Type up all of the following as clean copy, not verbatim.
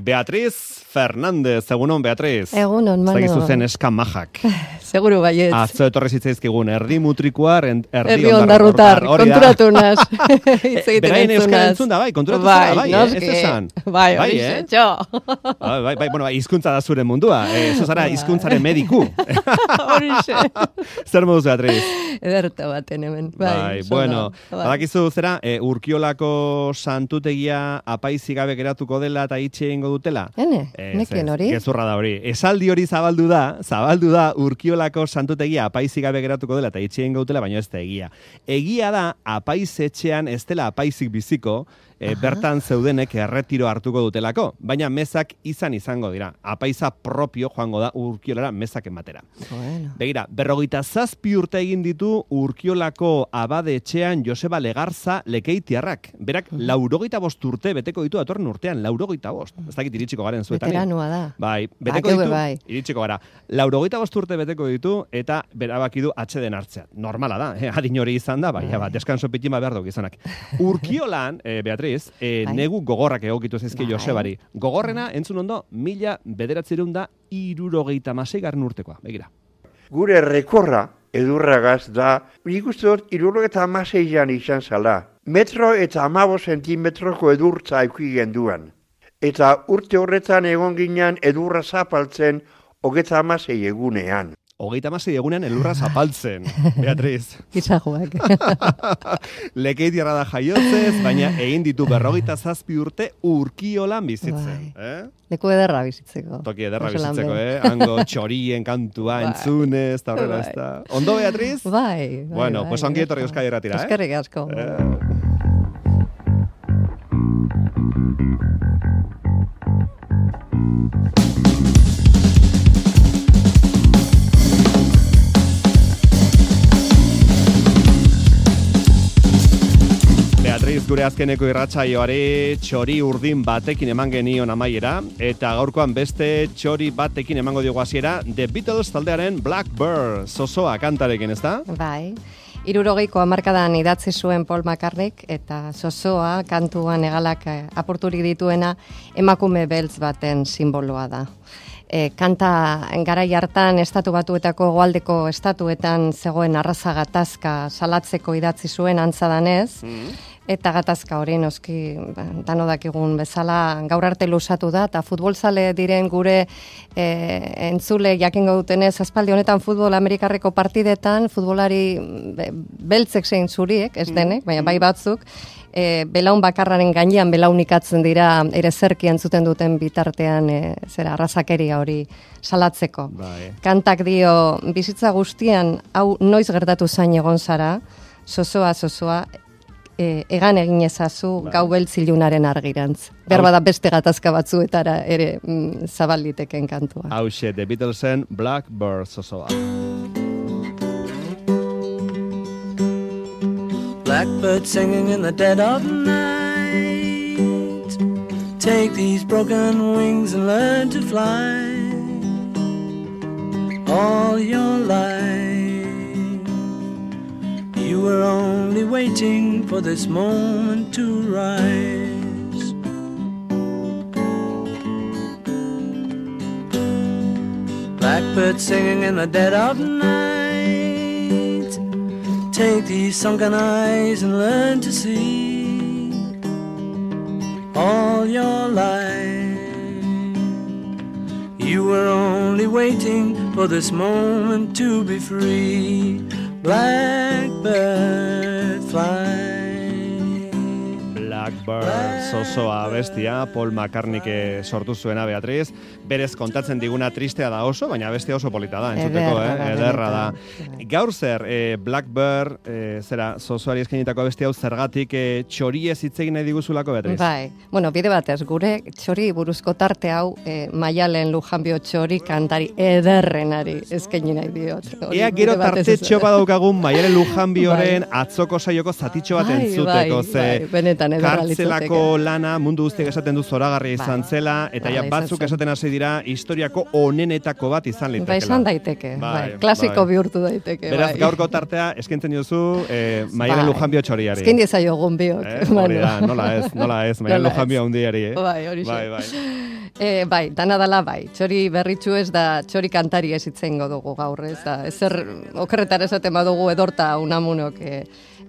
Beatriz Fernández, egunon Beatriz. Egunon, Manu. Zagizu zen eska majak. Seguru baietz. Atzo etorri zitzaizkigun, erdi mutrikuar, erdi ondarrutar, konturatu naz. Berain euskara entzun da, bai, konturatu zara, bai, ez esan. Bai, txo. Bai, bueno, hizkuntza da zure mundua, zara hizkuntzaren mediku. Horixe. Zer moduz, Beatriz? Ederta baten hemen. Bai, bueno, badakizu zera, Urkiolako santutegia apaizi gabe geratuko dela eta itxe egingo dutela? Neken hori? Gezurra da hori. Esaldi hori zabaldu da Urkiolako santutegia apaizi gabe geratuko dela eta itxe egingo dutela, baina ez da egia. Egia da apaiz etxean ez dela apaizik biziko, bertan zeudenek erretiro hartuko dutelako, baina mezak izango dira. Apaiza propio joango da Urkiolara mezak ematera. Bueno. Begira, 47 urte egin ditu Urkiolako abade etxean Joseba Legarza Lekeitiarrak. Berak 85 urte beteko ditu datorren urtean, 85. Ez dakit iritsiko garen zuetan. Veteranua da. Bai, beteko ditu, iritsiko gara. 85 urte beteko ditu eta berabaki du atxeden hartzea. Normala da, adin hori izan da, bai, deskanso pitima behar duk izanak. Urkiolan, Beatriz, negu gogorrak egokitu zezki Josebari. Gogorrena, entzun ondo, 1976 urtekoa. Begira. Gure rekorra edurragaz da, nik uste dut 76an izan zala. Metro eta 15 zentimetroko edurtza euki genduan. Eta urte horretan egon ginen edurra zapaltzen 36 egunean. 36 egunean elurra zapaltzen, Beatriz. Gizajoak. Lekeitiarra da jaiotzez, baina egin ditu 47 urte Urkiolan bizitzen. Leku ederra bizitzeko. Toki ederra bizitzeko, Hango txorien kantua entzunez, eta horrela ez da. Ondo, Beatriz? Bai. Bueno, pues ongi etorri Euskadi Irratira, Eskerrik asko. Beatriz, gure azkeneko irratsaioari txori urdin batekin eman genion amaiera, eta gaurkoan beste txori batekin emango diogu hasiera, The Beatles taldearen Blackbird, Zozoa kantarekin, ez da? Bai. 60ko hamarkadan idatzi zuen Paul McCartneyk eta Zozoa kantuan egalak apurturik dituena emakume beltz baten simboloa da. Kanta garai hartan estatu batuetako goaldeko estatuetan zegoen arraza gatazka salatzeko idatzi zuen antzadanez, eta gatazka hori noski dano dakigun bezala gaur arte luzatu da, eta futbolzale diren gure entzule jakingo dutenez, aspaldi honetan futbol amerikarreko partidetan, futbolari beltzek zein zuriek, ez denek, baina bai batzuk, belaun bakarraren gainean belaunikatzen dira ere zerki entzuten duten bitartean arrazakeria hori salatzeko. Kantak dio, bizitza guztian hau noiz gertatu zain egon zara, zozoa, egan egin ezazu gau beltzilunaren argirantz. Berba da beste gatazka batzuetara ere zabalditeken kantua. Hauxe, The Beatlesen Blackbird Zozoa. Blackbird singing in the dead of night. Take these broken wings and learn to fly. All your life you were only waiting for this moment to rise. Blackbird singing in the dead of night. Take these sunken eyes and learn to see. All your life you were only waiting for this moment to be free. Blackbird fly. Blackbird, Zozoa bestia, Paul McCartneyk sortu zuena, Beatriz. Berez kontatzen diguna tristea da oso, baina bestia oso polita da, entzuteko, ederra da. Gaur zer, Blackbird, Zozoari eskainitako bestia hau zergatik txoriez hitz egin nahi diguzulako, Beatriz? Bai, bueno, bide batez, gure txori buruzko tarte hau Maialen Lujanbio txori kantari ederrenari eskaini nahi diot. Ea gero tartetxo badaukagun Maialen Lujanbioren atzoko saioko zatitxo bat entzuteko, benetan ederra Atzelako lana mundu guztiak esaten du zoragarria izan zela, eta ja batzuk esaten hasi dira historiako onenetako bat izan litekela. Bai, izan daiteke, klasiko bihurtu daiteke. Beraz, gaurko tartea eskentzen jozu Maialen Lujanbio txoriari. Eskin diezaiogun biok. Hori da, nola ez, Maialen Lujanbio handiari. Bai, hori bai, dana dala bai. Txori berritxu ez da, txori kantari ez itzengo dugu gaur, ez da. Ezer okerretar esaten badugu edorta unamunok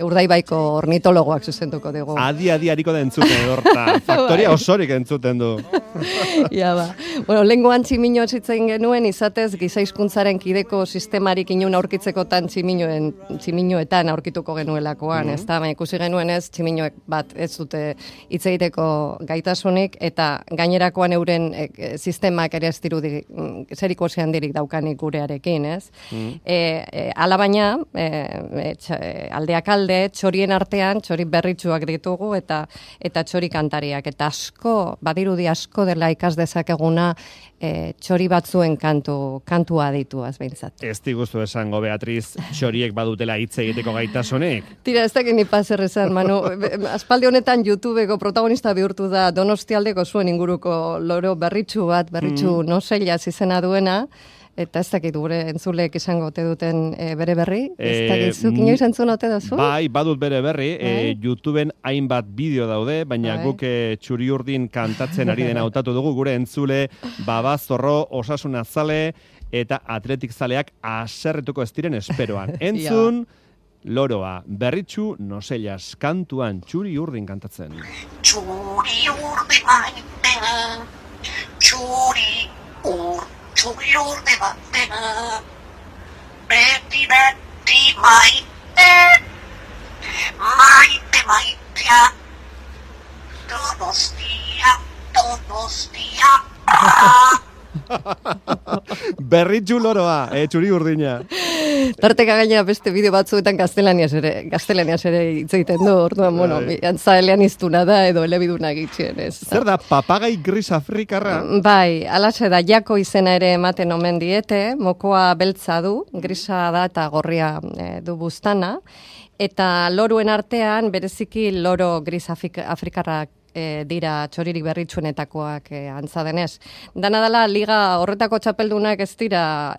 Urdaibaiko ornitologoak zuzentuko dugu. Adi hariko da entzuten edorta. Faktoria osorik entzuten du. Ja, ba. Bueno, lenguan tximino zitzen genuen, izatez gizaizkuntzaren kideko sistemarik inun aurkitzekotan tximinoetan aurkituko genuelakoan, ez da? Ikusi genuen ez, tximinoek bat ez dute hitz egiteko gaitasunik, eta gainerakoan euren sistemak ere ez dirudi zeriko handirik daukanik gurearekin, ez? Alabaina, aldeak alde, txorien artean, txori berritsuak ditugu, eta txori kantariak, eta asko, badirudi asko dela ikas dezakeguna txori batzuen kantua dituaz behintzat. Ez diguzu esango, Beatriz, txoriek badutela hitz egiteko gaitasunik? Tira, ez dakit ni paser esan, Manu. Aspaldi honetan YouTubeko protagonista bihurtu da Donostialdeko zuen inguruko loro berritsu noselaz izena duena, eta ez dakit gure entzuleek izango ote duten bere berri? Ez dakit zuk inoiz entzun ote duzu? Bai, badut bere berri. YouTubeen hainbat bideo daude, baina guk txuri urdin kantatzen ari dena hautatu dugu, gure entzule Baba Zorro, Osasuna zale eta Atletik zaleak haserretuko ez diren esperoan. Entzun, loroa, berritxu nosellas kantuan txuri urdin kantatzen. Txuri urdin maite, txuri urde batena, beti maite, maitea, Donostia. Berritxu loroa, txuri urdina. Tarteka gainera beste bideo batzuetan gaztelaniaz ere hitz egiten du, orduan, bueno, antza eleaniztuna da edo elebiduna gitxien, ez. Zer da, papagai gris afrikarra? Bai, alaxe da, jako izena ere ematen omen diete, mokoa beltza du, grisa da eta gorria du buztana, eta loruen artean, bereziki loro gris afrikarrak dira txoririk berritsuenetakoak antza denez. Dana dela, liga horretako txapeldunak ez dira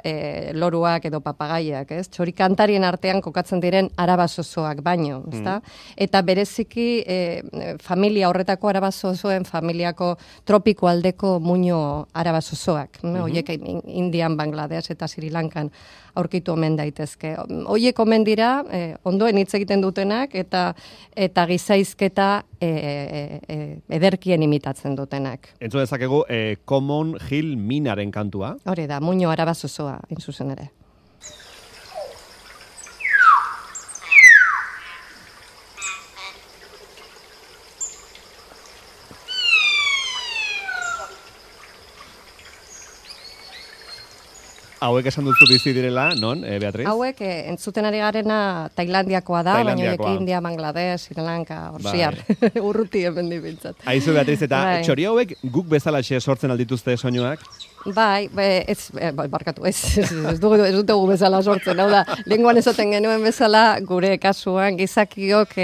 loruak edo papagaiak, ez? Txori kantarien artean kokatzen diren arabazozoak baino, ezta? Eta bereziki familia horretako arabazozoen familiako tropiko aldeko muino arabazozoak. Horiek Indian, Bangladesh eta Sri Lankan aurkitu omen daitezke. Hoiek omen dira, ondoen hitz egiten dutenak, eta gizaizketa ederkien imitatzen dutenak. Entzu dezakegu, Common Hill Minaren kantua. Hori da, muino arabazozoa, zuzen ere. Hauek esan duzu bizi direla, non, Beatriz? Hauek entzuten ari garena Tailandiakoa da, baina horiek India, Bangladesh, Sri Lanka, Orsiar, urruti hemen dibiltzat. Aizu, Beatriz, eta txori hauek guk bezalaxe sortzen aldituzte soinuak? Bai, barkatu, ez dugu bezala sortzen, hau da, lenguan esaten genuen bezala, gure kasuan gizakiok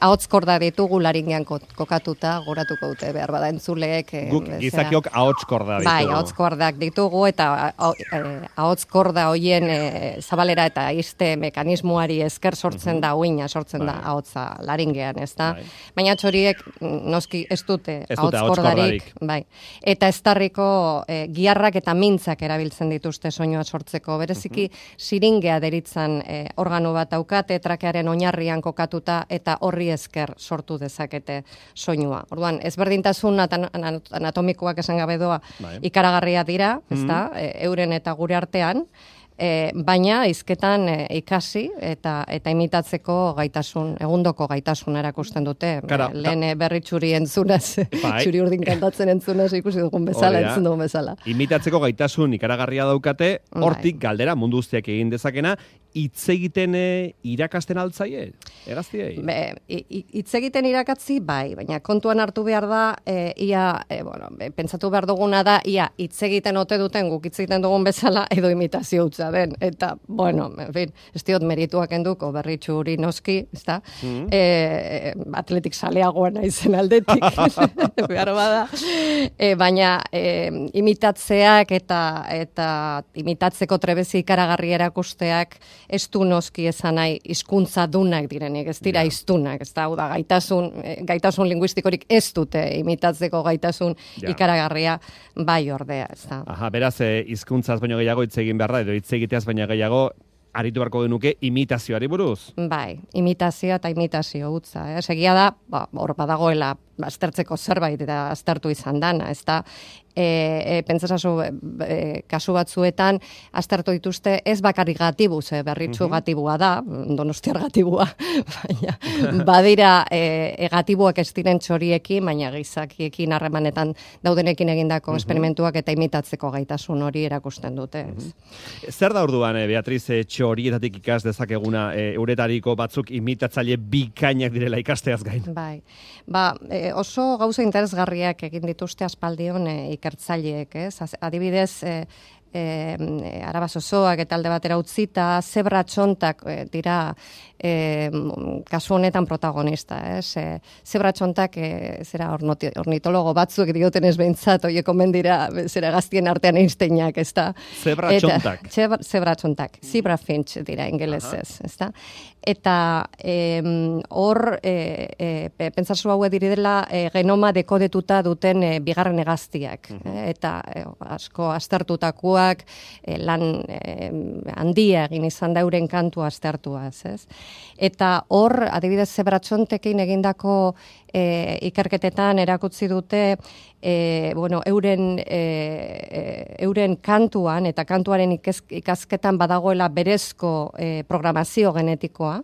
ahotskorda ditugu laringean kokatuta, goratuko dute behar bada entzuleek. Guk gizakiok ahotskorda ditugu. Bai, ahotskordak ditugu, eta ahotskorda hoien zabalera eta izte mekanismoari esker sortzen da uina, sortzen da ahotsa laringean, ez da? Baina txoriek noski ez dute ahotskordarik, bai. Eta estarriko giarrak eta mintzak erabiltzen dituzte soinua sortzeko. Bereziki siringea deritzan organo bat daukate, trakearen oinarrian kokatuta, eta horri esker sortu dezakete soinua. Orduan, ezberdintasun anatomikoak esan gabe doa ikaragarria dira, ezta, euren eta gure artean, baina hizketan ikasi eta imitatzeko gaitasun, egundoko gaitasun erakusten dute. Lehen berritxuri entzunaz, txuri urdin kantatzen entzunaz ikusi dugun bezala, entzun dugun bezala. Imitatzeko gaitasun ikaragarria daukate, hortik galdera mundu guztiak egin dezakena, hitz egiten irakasten altzaie, egaztiei? Hitz egiten irakatzi, bai, baina kontuan hartu behar da, pentsatu behar duguna da, ia hitz egiten ote duten guk hitz egiten dugun bezala, edo imitazio hutsa den. Eta, bueno, en fin, ez diot merituak enduko, berritxu hori noski, ez da? Atletik saleagoa naizen aldetik, behar bada. Baina imitatzeak eta imitatzeko trebezi ikaragarri erakusteak ez du noski esan nahi hizkuntza dunak direnik, ez dira hiztunak, ez da, da gaitasun linguistikorik ez dute imitatzeko gaitasun ikaragarria bai ordea, ez da. Aha, beraz, hizkuntzaz baino gehiago hitz egin beharra, edo hitz egiteaz baino gehiago aritu beharko genuke imitazioari buruz. Bai, imitazioa eta imitazio hutsa. Segia da, hor badagoela aztertzeko zerbait eta aztertu izan dana, ez da, pentsasazu kasu batzuetan aztertu dituzte ez bakarrik gatibuz, berritxu gatibua da, donostiar gatibua, baina badira gatibuak ez diren txoriekin, baina gizakiekin harremanetan daudenekin egindako esperimentuak eta imitatzeko gaitasun hori erakusten dute. Zer da orduan, Beatriz, txorietatik ikas dezakeguna euretariko batzuk imitatzaile bikainak direla ikasteaz gain? Bai, oso gauza interesgarriak egin dituzte aspaldion ikertzaileek, ez? Adibidez, Araba Zozoak eta alde batera utzita, zebra txontak dira kasu honetan protagonista, ez? Zebra txontak zera ornitologo batzuek dioten ez behintzat, oie komendira zera gaztien artean Einsteinak, ez da? Zebra txontak. Zebra txontak, zebra finch dira ingelesez, ez da? Eta hor, pentsazu hauek diridela genoma dekodetuta duten bigarren hegaztiak, eta asko aztertutakoak lan handia egin izan da euren kantua aztertuaz, ez? Eta hor, adibidez zebratxontekin egindako ikerketetan erakutsi dute euren kantuan eta kantuaren ikasketan badagoela berezko programazio genetikoa,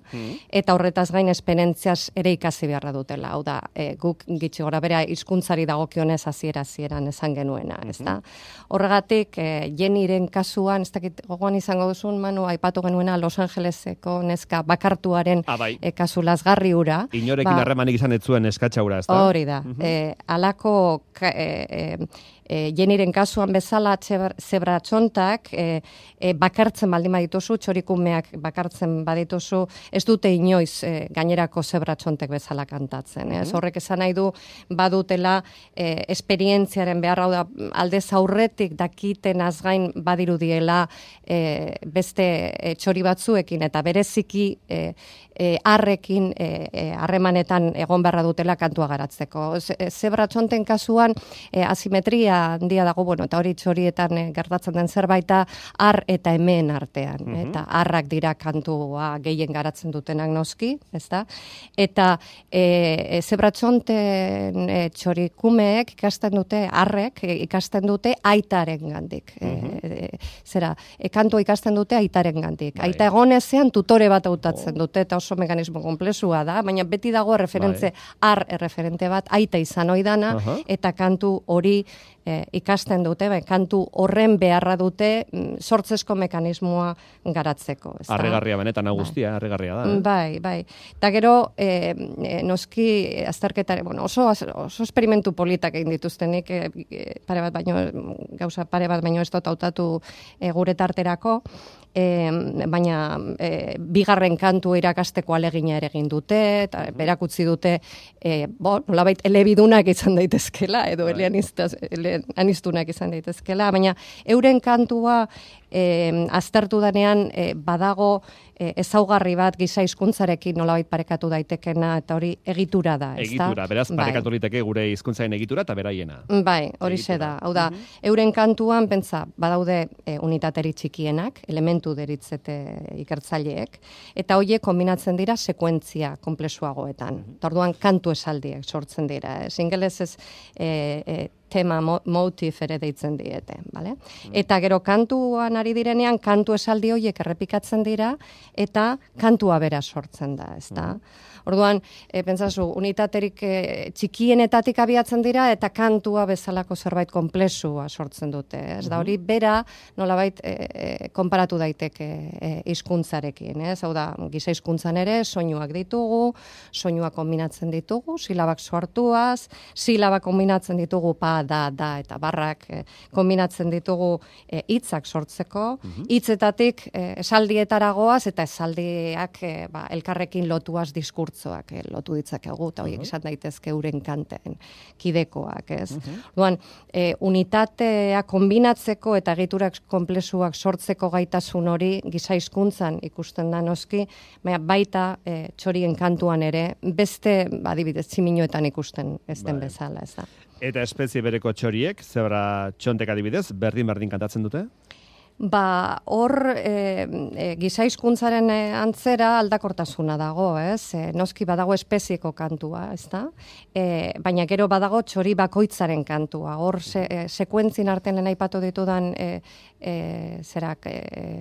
eta horretaz gain esperientziaz ere ikasi beharra dutela. Hau da, guk gitxi gora bera hizkuntzari dagokionez hasieran esan genuena, ezta? Horregatik, Jennyren kasuan, ez dakit gogoan izango duzun, Manu, aipatu genuena Los Angeleseko neska bakartuaren kasu lazgarri hura. Inorekin harremanik izan ez zuen eskatxaura, ez da? Hori da. Alako Jennyren kasuan bezala zebra txontak bakartzen baldin badituzu, txorikumeak bakartzen badituzu, ez dute inoiz gainerako zebra txontek bezala kantatzen. Horrek esan nahi du badutela esperientziaren behar, hau da, aldez aurretik dakiten azgain badirudiela beste txori batzuekin eta bereziki arrekin harremanetan egon beharra dutela kantua garatzeko. Zebra txonten kasuan asimetria handia dago, eta hori txorietan gertatzen den zerbaita ar eta hemen artean. Eta arrak dira kantua gehien garatzen dutenak noski, ezta? Eta zebra txonten txorikumeek ikasten dute, arrek ikasten dute aitaren gandik. Kantua ikasten dute aitaren gandik. Aita egonezean tutore bat hautatzen dute, eta oso mekanismo komplexua da, baina beti dago ar erreferente bat, aita izan oidana, eta kantu hori ikasten dute, kantu horren beharra dute sortzesko mekanismoa garatzeko. Harrigarria benetan, guztia, harrigarria da. Bai. Eta gero, noski azterketare, oso esperimentu politak egin dituztenik, gauza pare bat baino ez dut hautatu gure tarterako, baina bigarren kantu irakasteko alegina ere egin dute, eta berakutzi dute nolabait elebidunak izan daitezkela, edo eleaniztunak izan daitezkela, baina euren kantua aztertu danean badago ezaugarri bat giza hizkuntzarekin nolabait parekatu daitekena, eta hori egitura da, ezta? Egitura, beraz parekatu liteke gure hizkuntzaren egitura eta beraiena. Bai, hori da. Hau da, euren kantuan pentsa badaude unitateri txikienak, elementu deritzete ikertzaileek, eta horiek kombinatzen dira sekuentzia komplexuagoetan. Orduan kantu esaldiek sortzen dira. Ingelesez tema motif ere deitzen diete, bale? Eta gero kantuan ari direnean, kantu esaldi horiek errepikatzen dira, eta kantua bera sortzen da, ezta? Orduan, pentsazu, unitaterik txikienetatik abiatzen dira, eta kantua bezalako zerbait konplexua sortzen dute, ez? Da hori bera, nolabait, konparatu daiteke hizkuntzarekin, ez? Hau da, giza hizkuntzan ere, soinuak ditugu, soinuak kombinatzen ditugu, silabak sortuaz, silabak kombinatzen ditugu pa, da, eta barrak kombinatzen ditugu hitzak sortzeko, hitzetatik esaldietara goaz, eta esaldiak elkarrekin lotuaz diskurtzoak lotu ditzakegu, eta horiek izan daitezke euren kanten kidekoak, ez? Orduan, unitatea kombinatzeko eta egiturak konplexuak sortzeko gaitasun hori giza hizkuntzan ikusten da noski, baita txorien kantuan ere, beste, adibidez, tximinoetan ikusten ez den bezala, ez da. Eta espezie bereko txoriek, zebra txontek adibidez, berdin kantatzen dute? Hor giza hizkuntzaren antzera aldakortasuna dago, ez? Noski badago espezieko kantua, ezta? Baina gero badago txori bakoitzaren kantua. Hor sekuentzien artean aipatu ditudan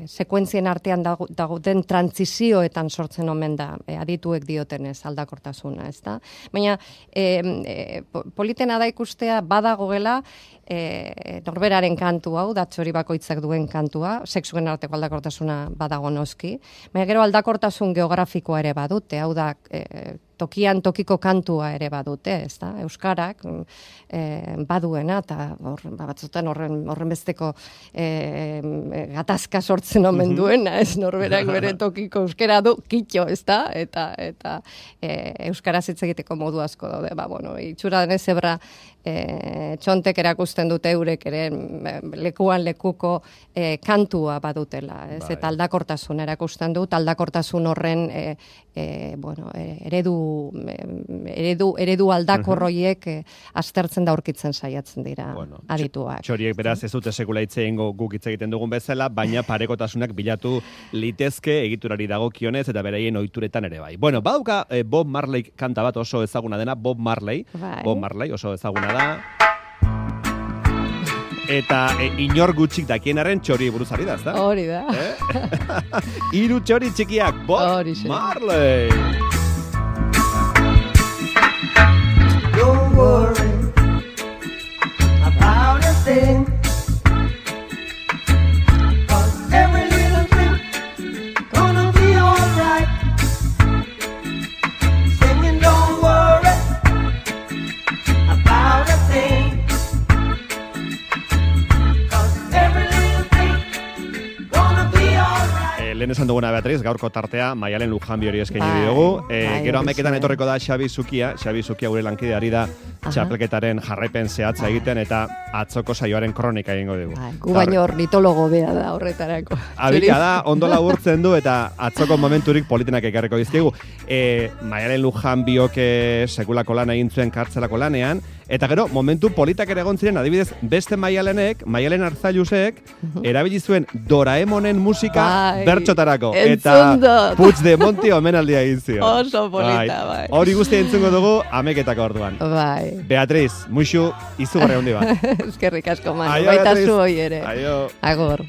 sekuentzien artean dagoen trantzizioetan sortzen omen da, adituek diotenez aldakortasuna, ezta? Baina politena da ikustea badagoela norberaren kantu hau, da txori bakoitzak duen kantua, sexuen arteko aldakortasuna badago noski, baina gero aldakortasun geografikoa ere badute, hau da tokian tokiko kantua ere badute, ezta? Euskarak baduena, eta batzutan horren besteko gatazka sortzen omen duena, ez norberak bere tokiko euskara du, kitxo, ezta? Eta euskaraz hitz egiteko modu asko daude, itxura denez zebra txontek erakusten dute eurek ere lekuan lekuko kantua badutela, ez? Eta aldakortasun erakusten dut, aldakortasun horren eredu aldakor horiek aztertzen da aurkitzen saiatzen dira adituak. Txoriek beraz ez dute sekula hitz egingo guk hitz egiten dugun bezala, baina parekotasunak bilatu litezke egiturari dagokionez eta beraien ohituretan ere bai. Bueno, badauka Bob Marley kanta bat oso ezaguna dena, Bob Marley oso ezaguna da. Eta inor gutxik dakienaren txori buruz ari da, ezta? Hori da. Hiru txori txikiak, Bob Marley. Don't worry about a thing, 'cause every little thing gonna be alright. Singing, don't worry about a thing, 'cause every little thing gonna be alright. Lehen esan duguna, Beatriz, gaurko tartea Maialen Lujanbi hori eskaini diogu. Gero 11etan etorriko da Xabi Zukia gure lankide ari da txapelketaren jarraipen zehatza egiten eta atzoko saioaren kronika egingo dugu. Gu baino ornitologo bea da horretarako. Abika da, ondo laburtzen du eta atzoko momenturik politenak ekarriko dizkigu. Maialen Lujanbiok sekulako lan egin zuen kartzelako lanean, eta gero momentu politak ere egon ziren, adibidez, beste Maialen Arzailusek erabili zuen Doraemonen musika bertxotarako. Eta Puigdemonti omenaldia egin zion. Oso polita, bai. Hori guztia entzungo dugu ameketako orduan. Bai. Beatriz, muixu, izugarri handi bat. Eskerrik asko, Manu. Baita zu hoi ere. Aio. Agor.